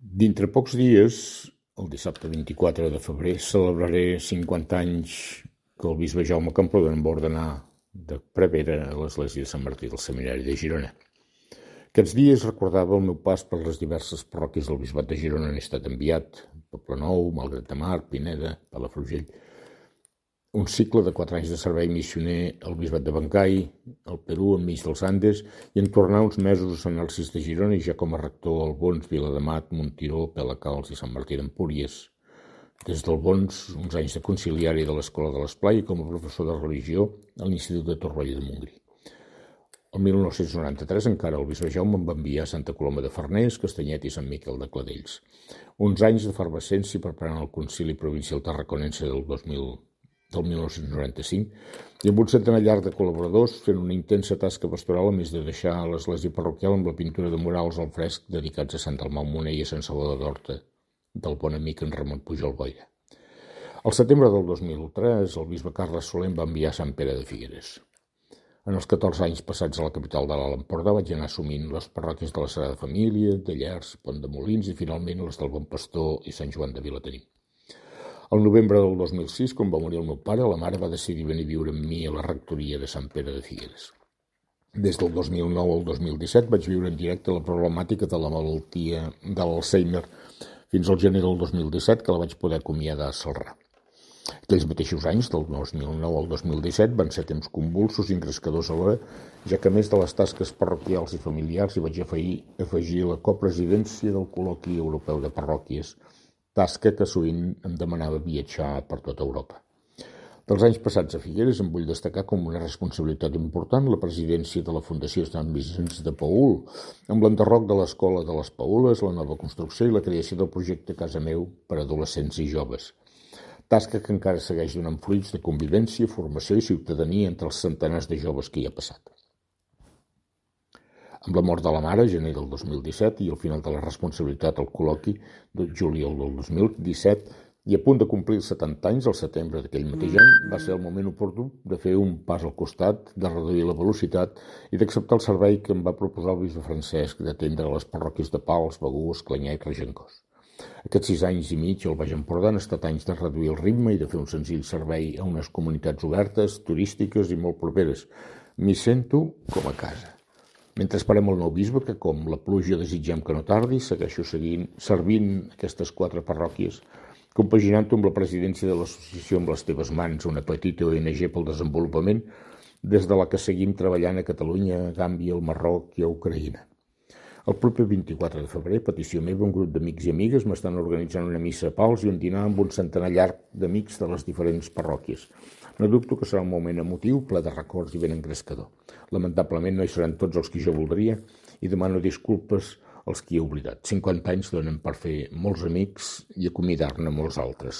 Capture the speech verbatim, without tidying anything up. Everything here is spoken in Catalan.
Dintre pocs dies, el dissabte vint-i-quatre de febrer, celebraré cinquanta anys que el bisbe Jaume Camprodon em va ordenar de prevere a l'església de Sant Martí del Seminari de Girona. Aquests dies recordava el meu pas per les diverses parròquies del bisbat de Girona on he estat enviat: Poblenou, Malgrat de Mar, Pineda, Palafrugell. Un cicle de quatre anys de servei missioner al bisbat de Bengkai, al Perú, enmig dels Andes, i en tornar uns mesos a Sant Narcís de Girona i ja com a rector al Bons, Viladamat, Montiró, Pelacals i Sant Martí d'Empúries. Des del Bons, uns anys de conciliari de l'Escola de l'Esplai i com a professor de religió a l'Institut de Torroella de Montgrí. El mil nou-cents noranta-tres encara el bisbe Jaume em va enviar a Santa Coloma de Farners, Castanyet i Sant Miquel de Cladells. Uns anys d'efervescència preparant el concili provincial tarraconense del dos mil del mil nou-cents noranta-cinc, i amb un centenar llarg de col·laboradors fent una intensa tasca pastoral, a més de deixar l'església parroquial amb la pintura de murals al fresc dedicats a Sant Dalmau Moner i a Sant Salvador d'Horta, del bon amic en Ramon Pujol Boira. Al setembre del dos mil tres, el bisbe Carles Soler em va enviar a Sant Pere de Figueres. En els catorze anys passats a la capital de l'Alt Empordà vaig anar assumint les parròquies de la Sagrada Família, de Llers, Pont de Molins i finalment les del Bon Pastor i Sant Joan de Vilatenim. Al novembre del dos mil sis, quan va morir el meu pare, la mare va decidir venir a viure amb mi a la rectoria de Sant Pere de Figueres. Des del dos mil nou al dos mil disset vaig viure en directe la problemàtica de la malaltia de l'Alzheimer fins al gener del dos mil disset, que la vaig poder acomiadar a Celrà. Aquells mateixos anys, del dos mil nou al dos mil disset, van ser temps convulsos i engrescadors alhora, ja que a més de les tasques parroquials i familiars hi vaig afegir, afegir la copresidència del Col·loqui Europeu de Parròquies, tasca que sovint em demanava viatjar per tota Europa. Dels anys passats a Figueres em vull destacar com una responsabilitat important la presidència de la Fundació Sant Vicenç de Paül, amb l'enderroc de l'Escola de les Paules, la nova construcció i la creació del projecte Casa Meu per a adolescents i joves. Tasca que encara segueix donant fruits de convivència, formació i ciutadania entre els centenars de joves que hi ha passat. Amb la mort de la mare, gener del dos mil disset, i el final de la responsabilitat al col·loqui de juliol del dos mil disset, i a punt de complir els setanta anys, al setembre d'aquell mateix any, va ser el moment oportú de fer un pas al costat, de reduir la velocitat i d'acceptar el servei que em va proposar el bisbe Francesc d'atendre les parròquies de Pals, Begur, Esclanyà i Regencós. Aquests sis anys i mig al Baix Empordà han estat anys de reduir el ritme i de fer un senzill servei a unes comunitats obertes, turístiques i molt properes. M'hi sento com a casa. Mentre esperem el nou bisbe, que com la pluja desitgem que no tardi, segueixo seguint, servint aquestes quatre parròquies, compaginant-ho amb la presidència de l'associació Amb les teves mans, una petita O N G pel desenvolupament, des de la que seguim treballant a Catalunya, a Gàmbia, al Marroc i a Ucraïna. El proper vint-i-quatre de febrer, petició meva, un grup d'amics i amigues m'estan organitzant una missa a Pals i un dinar amb un centenar llarg d'amics de les diferents parròquies. No dubto que serà un moment emotiu, ple de records i ben engrescador. Lamentablement no hi seran tots els que jo voldria i demano disculpes als qui he oblidat. cinquanta anys donen per fer molts amics i acomiadar-ne molts altres.